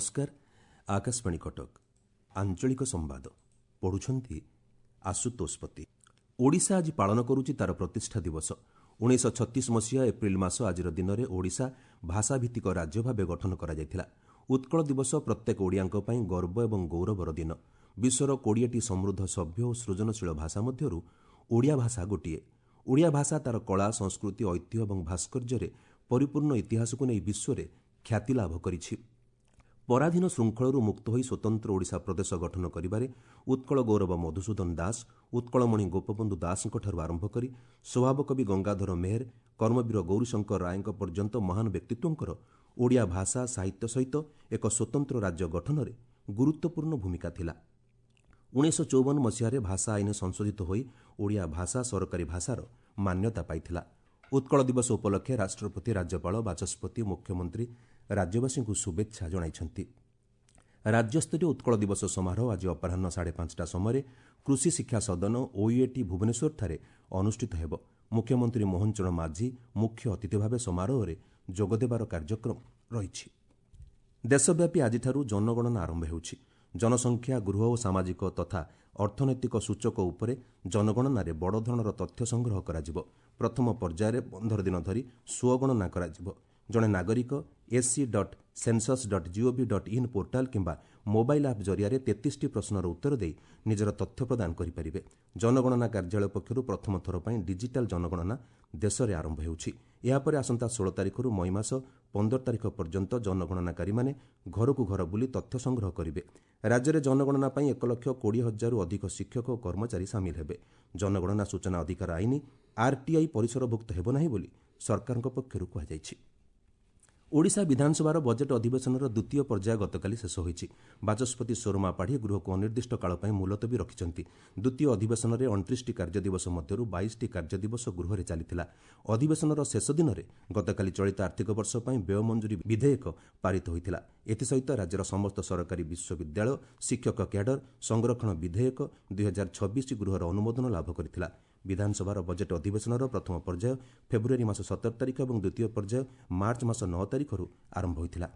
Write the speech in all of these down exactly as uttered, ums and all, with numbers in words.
ନମସ୍କାର, ଆକାଶବାଣୀ କଟକ, ଆଞ୍ଚଳିକ ସମ୍ବାଦ ପଢୁଛନ୍ତି ଆଶୁତୋଷ ପତି। ଓଡ଼ିଶା ଆଜି ପାଳନ କରୁଛି ତାର ପ୍ରତିଷ୍ଠା ଦିବସ। ଉଣେଇଶହ ଛତିଶ ମସିହା ଏପ୍ରିଲ ମାସ ଆଜିର ଦିନରେ ଓଡ଼ିଶା ଭାଷାଭିତ୍ତିକ ରାଜ୍ୟ ଭାବେ ଗଠନ କରାଯାଇଥିଲା। ଉତ୍କଳ ଦିବସ ପ୍ରତ୍ୟେକ ଓଡ଼ିଆଙ୍କ ପାଇଁ ଗର୍ବ ଏବଂ ଗୌରବର ଦିନ। ବିଶ୍ୱର କୋଡ଼ିଏଟି ସମୃଦ୍ଧ, ସଭ୍ୟ ଓ ସୃଜନଶୀଳ ଭାଷା ମଧ୍ୟରୁ ଓଡ଼ିଆ ଭାଷା ଗୋଟିଏ। ଓଡ଼ିଆ ଭାଷା ତାର କଳା, ସଂସ୍କୃତି, ଐତିହ୍ୟ ଏବଂ ଭାସ୍କର୍ଯ୍ୟରେ ପରିପୂର୍ଣ୍ଣ ଇତିହାସକୁ ନେଇ ବିଶ୍ୱରେ ଖ୍ୟାତି ଲାଭ କରିଛି। ପରାଧୀନ ଶୃଙ୍ଖଳରୁ ମୁକ୍ତ ହୋଇ ସ୍ୱତନ୍ତ୍ର ଓଡ଼ିଶା ପ୍ରଦେଶ ଗଠନ କରିବାରେ ଉତ୍କଳ ଗୌରବ ମଧୁସୂଦନ ଦାସ, ଉତ୍କଳମଣି ଗୋପବନ୍ଧୁ ଦାସଙ୍କଠାରୁ ଆରମ୍ଭ କରି ସ୍ୱଭାବକବି ଗଙ୍ଗାଧର ମେହେର, କର୍ମବୀର ଗୌରୀଶଙ୍କର ରାୟଙ୍କ ପର୍ଯ୍ୟନ୍ତ ମହାନ ବ୍ୟକ୍ତିତ୍ୱଙ୍କର ଓଡ଼ିଆ ଭାଷା ସାହିତ୍ୟ ସହିତ ଏକ ସ୍ୱତନ୍ତ୍ର ରାଜ୍ୟ ଗଠନରେ ଗୁରୁତ୍ୱପୂର୍ଣ୍ଣ ଭୂମିକା ଥିଲା। ଉଣେଇଶହ ଚଉବନ ମସିହାରେ ଭାଷା ଆଇନ ସଂଶୋଧିତ ହୋଇ ଓଡ଼ିଆ ଭାଷା ସରକାରୀ ଭାଷାର ମାନ୍ୟତା ପାଇଥିଲା। ଉତ୍କଳ ଦିବସ ଉପଲକ୍ଷେ ରାଷ୍ଟ୍ରପତି, ରାଜ୍ୟପାଳ, ବାଚସ୍ପତି, ମୁଖ୍ୟମନ୍ତ୍ରୀ ରାଜ୍ୟବାସୀଙ୍କୁ ଶୁଭେଚ୍ଛା ଜଣାଇଛନ୍ତି। ରାଜ୍ୟସ୍ତରୀୟ ଉତ୍କଳ ଦିବସ ସମାରୋହ ଆଜି ଅପରାହ୍ନ ସାଢ଼େ ପାଞ୍ଚଟା ସମୟରେ କୃଷି ଶିକ୍ଷା ସଦନ ଓୟୁଏଟି ଭୁବନେଶ୍ୱରଠାରେ ଅନୁଷ୍ଠିତ ହେବ। ମୁଖ୍ୟମନ୍ତ୍ରୀ ମୋହନ ଚରଣ ମାଝୀ ମୁଖ୍ୟ ଅତିଥି ଭାବେ ସମାରୋହରେ ଯୋଗଦେବାର କାର୍ଯ୍ୟକ୍ରମ ରହିଛି। ଦେଶବ୍ୟାପୀ ଆଜିଠାରୁ ଜନଗଣନା ଆରମ୍ଭ ହେଉଛି। ଜନସଂଖ୍ୟା, ଗୃହ ଓ ସାମାଜିକ ତଥା ଅର୍ଥନୈତିକ ସୂଚକ ଉପରେ ଜନଗଣନାରେ ବଡ଼ ଧରଣର ତଥ୍ୟ ସଂଗ୍ରହ କରାଯିବ। ପ୍ରଥମ ପର୍ଯ୍ୟାୟରେ ପନ୍ଦର ଦିନ ଧରି ସ୍ୱଗଣନା କରାଯିବ। ଜଣେ ନାଗରିକ SC dot census dot GOV dot in portal କିମ୍ବା ମୋବାଇଲ୍ ଆପ୍ ଜରିଆରେ ତେତିଶଟି ପ୍ରଶ୍ନର ଉତ୍ତର ଦେଇ ନିଜର ତଥ୍ୟ ପ୍ରଦାନ କରିପାରିବେ। ଜନଗଣନା କାର୍ଯ୍ୟାଳୟ ପକ୍ଷରୁ ପ୍ରଥମ ଥର ପାଇଁ ଡିଜିଟାଲ ଜନଗଣନା ଦେଶରେ ଆରମ୍ଭ ହେଉଛି। ଏହାପରେ ଆସନ୍ତା ଷୋହଳ ତାରିଖରୁ ମଇ ମାସ ପନ୍ଦର ତାରିଖ ପର୍ଯ୍ୟନ୍ତ ଜନଗଣନାକାରୀମାନେ ଘରକୁ ଘର ବୁଲି ତଥ୍ୟ ସଂଗ୍ରହ କରିବେ। ରାଜ୍ୟରେ ଜନଗଣନା ପାଇଁ ଏକ ଲକ୍ଷ କୋଡ଼ିଏ ହଜାରରୁ ଅଧିକ ଶିକ୍ଷକ ଓ କର୍ମଚାରୀ ସାମିଲ ହେବେ। ଜନଗଣନା ସୂଚନା ଅଧିକାର ଆଇନ ଆର୍ଟିଆଇ ପରିସରଭୁକ୍ତ ହେବ ନାହିଁ ବୋଲି ସରକାରଙ୍କ ପକ୍ଷରୁ କୁହାଯାଇଛି। ଓଡ଼ିଶା ବିଧାନସଭାର ବଜେଟ୍ ଅଧିବେଶନର ଦ୍ୱିତୀୟ ପର୍ଯ୍ୟାୟ ଗତକାଲି ଶେଷ ହୋଇଛି। ବାଚସ୍ପତି ସୁରମା ପାଢ଼ୀ ଗୃହକୁ ଅନିର୍ଦ୍ଦିଷ୍ଟ କାଳ ପାଇଁ ମୁଲତବୀ ରଖିଛନ୍ତି। ଦ୍ୱିତୀୟ ଅଧିବେଶନରେ ଅଣତିରିଶଟି କାର୍ଯ୍ୟଦିବସ ମଧ୍ୟରୁ ବାଇଶଟି କାର୍ଯ୍ୟଦିବସ ଗୃହରେ ଚାଲିଥିଲା। ଅଧିବେଶନର ଶେଷ ଦିନରେ ଗତକାଲି ଚଳିତ ଆର୍ଥିକ ବର୍ଷ ପାଇଁ ବ୍ୟୟ ମଞ୍ଜୁରୀ ବିଧେୟକ ପାରିତ ହୋଇଥିଲା। ଏଥିସହିତ ରାଜ୍ୟର ସମସ୍ତ ସରକାରୀ ବିଶ୍ୱବିଦ୍ୟାଳୟ ଶିକ୍ଷକ କ୍ୟାଡର ସଂରକ୍ଷଣ ବିଧେୟକ ଦୁଇହଜାର ଛବିଶ ଗୃହର ଅନୁମୋଦନ ଲାଭ କରିଥିଲା। ବିଧାନସଭାର ବଜେଟ୍ ଅଧିବେଶନର ପ୍ରଥମ ପର୍ଯ୍ୟାୟ ଫେବୃଆରୀ ମାସ ସତର ତାରିଖ ଏବଂ ଦ୍ୱିତୀୟ ପର୍ଯ୍ୟାୟ ମାର୍ଚ୍ଚ ମାସ ନଅ ତାରିଖରୁ ଆରମ୍ଭ ହୋଇଥିଲା।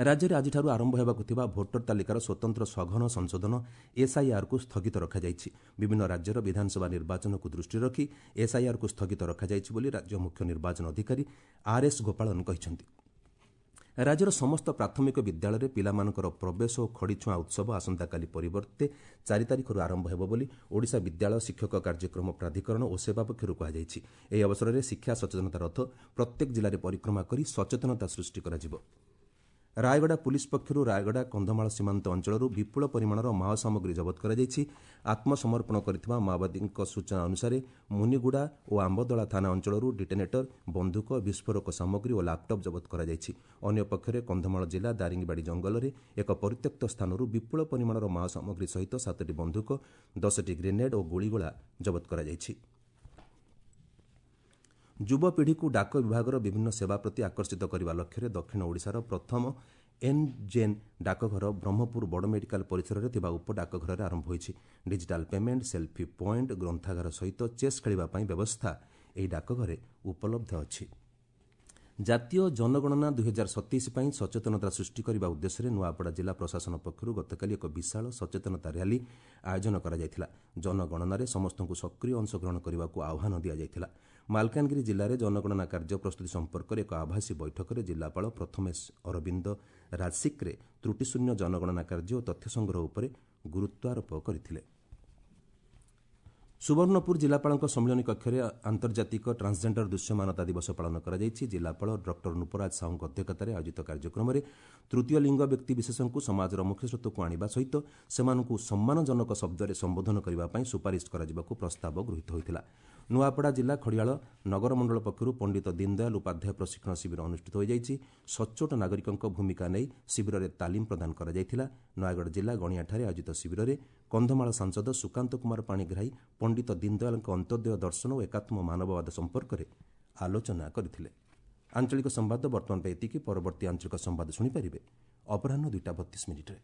ରାଜ୍ୟରେ ଆଜିଠାରୁ ଆରମ୍ଭ ହେବାକୁ ଥିବା ଭୋଟର ତାଲିକାର ସ୍ୱତନ୍ତ୍ର ସଘନ ସଂଶୋଧନ ଏସ୍ଆଇଆର୍କୁ ସ୍ଥଗିତ ରଖାଯାଇଛି। ବିଭିନ୍ନ ରାଜ୍ୟର ବିଧାନସଭା ନିର୍ବାଚନକୁ ଦୃଷ୍ଟିରେ ରଖି ଏସ୍ଆଇଆର୍କୁ ସ୍ଥଗିତ ରଖାଯାଇଛି ବୋଲି ରାଜ୍ୟ ମୁଖ୍ୟ ନିର୍ବାଚନ ଅଧିକାରୀ ଆର୍ଏସ୍ ଗୋପାଳନ କହିଛନ୍ତି। ରାଜ୍ୟର ସମସ୍ତ ପ୍ରାଥମିକ ବିଦ୍ୟାଳୟରେ ପିଲାମାନଙ୍କର ପ୍ରବେଶ ଓ ଖଡ଼ିଛୁଆଁ ଉତ୍ସବ ଆସନ୍ତାକାଲି ପରିବର୍ତ୍ତେ ଚାରି ତାରିଖରୁ ଆରମ୍ଭ ହେବ ବୋଲି ଓଡ଼ିଶା ବିଦ୍ୟାଳୟ ଶିକ୍ଷକ କାର୍ଯ୍ୟକ୍ରମ ପ୍ରାଧିକରଣ ଓ ସେବା ପକ୍ଷରୁ କୁହାଯାଇଛି। ଏହି ଅବସରରେ ଶିକ୍ଷା ସଚେତନତା ରଥ ପ୍ରତ୍ୟେକ ଜିଲ୍ଲାରେ ପରିକ୍ରମା କରି ସଚେତନତା ସୃଷ୍ଟି କରାଯିବ। ରାୟଗଡ଼ା ପୁଲିସ୍ ପକ୍ଷରୁ ରାୟଗଡ଼ା କନ୍ଧମାଳ ସୀମାନ୍ତ ଅଞ୍ଚଳରୁ ବିପୁଳ ପରିମାଣର ମାଓ ସାମଗ୍ରୀ ଜବତ କରାଯାଇଛି। ଆତ୍ମସମର୍ପଣ କରିଥିବା ମାଓବାଦୀଙ୍କ ସୂଚନା ଅନୁସାରେ ମୁନିଗୁଡ଼ା ଓ ଆମ୍ବଦଳା ଥାନା ଅଞ୍ଚଳରୁ ଡିଟୋନେଟର, ବନ୍ଧୁକ, ବିସ୍ଫୋରକ ସାମଗ୍ରୀ ଓ ଲାପଟପ୍ ଜବତ କରାଯାଇଛି। ଅନ୍ୟପକ୍ଷରେ କନ୍ଧମାଳ ଜିଲ୍ଲା ଦାରିଙ୍ଗବାଡ଼ି ଜଙ୍ଗଲରେ ଏକ ପରିତ୍ୟକ୍ତ ସ୍ଥାନରୁ ବିପୁଳ ପରିମାଣର ମାଓ ସାମଗ୍ରୀ ସହିତ ସାତଟି ବନ୍ଧୁକ, ଦଶଟି ଗ୍ରେନେଡ୍ ଓ ଗୁଳିଗୋଳା ଜବତ କରାଯାଇଛି। ଯୁବପିଢ଼ିକୁ ଡାକ ବିଭାଗର ବିଭିନ୍ନ ସେବା ପ୍ରତି ଆକର୍ଷିତ କରିବା ଲକ୍ଷ୍ୟରେ ଦକ୍ଷିଣ ଓଡ଼ିଶାର ପ୍ରଥମ ଏନ୍ ଜେନ୍ ଡାକଘର ବ୍ରହ୍ମପୁର ବଡ଼ ମେଡିକାଲ ପରିସରରେ ଥିବା ଉପଡାକଘରରେ ଆରମ୍ଭ ହୋଇଛି। ଡିଜିଟାଲ ପେମେଣ୍ଟ, ସେଲ୍ଫି ପଏଣ୍ଟ, ଗ୍ରନ୍ଥାଗାର ସହିତ ଚେସ୍ ଖେଳିବା ପାଇଁ ବ୍ୟବସ୍ଥା ଏହି ଡାକଘରେ ଉପଲବ୍ଧ ଅଛି। ଜାତୀୟ ଜନଗଣନା ଦୁଇହଜାର ସତେଇଶ ପାଇଁ ସଚେତନତା ସୃଷ୍ଟି କରିବା ଉଦ୍ଦେଶ୍ୟରେ ନୂଆପଡ଼ା ଜିଲ୍ଲା ପ୍ରଶାସନ ପକ୍ଷରୁ ଗତକାଲି ଏକ ବିଶାଳ ସଚେତନତା ର୍ୟାଲି ଆୟୋଜନ କରାଯାଇଥିଲା। ଜନଗଣନାରେ ସମସ୍ତଙ୍କୁ ସକ୍ରିୟ ଅଂଶଗ୍ରହଣ କରିବାକୁ ଆହ୍ୱାନ ଦିଆଯାଇଥିଲା। ମାଲକାନଗିରି ଜିଲ୍ଲାରେ ଜନଗଣନା କାର୍ଯ୍ୟ ପ୍ରସ୍ତୁତି ସମ୍ପର୍କରେ ଏକ ଆଭାସୀ ବୈଠକରେ ଜିଲ୍ଲାପାଳ ପ୍ରଥମେଶ ଅରବିନ୍ଦ ରାଜସିକ୍ରେ ତ୍ରୁଟିଶୂନ୍ୟ ଜନଗଣନା କାର୍ଯ୍ୟ ଓ ତଥ୍ୟ ସଂଗ୍ରହ ଉପରେ ଗୁରୁତ୍ୱାରୋପ କରିଥିଲେ। ସୁବର୍ଣ୍ଣପୁର ଜିଲ୍ଲାପାଳଙ୍କ ସମ୍ମିଳନୀ କକ୍ଷରେ ଆନ୍ତର୍ଜାତିକ ଟ୍ରାନ୍ସଜେଣ୍ଡର ଦୃଶ୍ୟମାନତା ଦିବସ ପାଳନ କରାଯାଇଛି। ଜିଲ୍ଲାପାଳ ଡକ୍ଟର ନୃପରାଜ ସାହୁଙ୍କ ଅଧ୍ୟକ୍ଷତାରେ ଆୟୋଜିତ କାର୍ଯ୍ୟକ୍ରମରେ ତୃତୀୟ ଲିଙ୍ଗ ବ୍ୟକ୍ତିବିଶେଷଙ୍କୁ ସମାଜର ମୁଖ୍ୟସ୍ରୋତକୁ ଆଣିବା ସହିତ ସେମାନଙ୍କୁ ସମ୍ମାନଜନକ ଶବ୍ଦରେ ସମ୍ବୋଧନ କରିବା ପାଇଁ ସୁପାରିଶ କରାଯିବାକୁ ପ୍ରସ୍ତାବ ଗୃହୀତ ହୋଇଥିଲା। ନୂଆପଡ଼ା ଜିଲ୍ଲା ଖଡ଼ିଆଳ ନଗର ମଣ୍ଡଳ ପକ୍ଷରୁ ପଣ୍ଡିତ ଦୀନଦୟାଲ ଉପାଧ୍ୟାୟ ପ୍ରଶିକ୍ଷଣ ଶିବିର ଅନୁଷ୍ଠିତ ହୋଇଯାଇଛି। ସଚ୍ଚୋଟ ନାଗରିକଙ୍କ ଭୂମିକା ନେଇ ଶିବିରରେ ତାଲିମ ପ୍ରଦାନ କରାଯାଇଥିଲା। ନୟାଗଡ଼ ଜିଲ୍ଲା ଗଣିଆଠାରେ ଆୟୋଜିତ ଶିବିରରେ କନ୍ଧମାଳ ସାଂସଦ ସୁକାନ୍ତ କୁମାର ପାଣିଗ୍ରାହୀ ପଣ୍ଡିତ ଦୀନଦୟାଲଙ୍କ ଅନ୍ତ୍ୟୋଦୟ ଦର୍ଶନ ଓ ଏକାତ୍ମ ମାନବବାଦ ସମ୍ପର୍କରେ ଆଲୋଚନା କରିଥିଲେ। ଆଞ୍ଚଳିକ ସମ୍ବାଦ ବର୍ତ୍ତମାନ ପାଇଁ ଏତିକି। ପରବର୍ତ୍ତୀ ଆଞ୍ଚଳିକ ସମ୍ବାଦ ଶୁଣିପାରିବେ ଅପରାହ୍ନ ଦୁଇଟା ବତିଶ ମିନିଟ୍ରେ।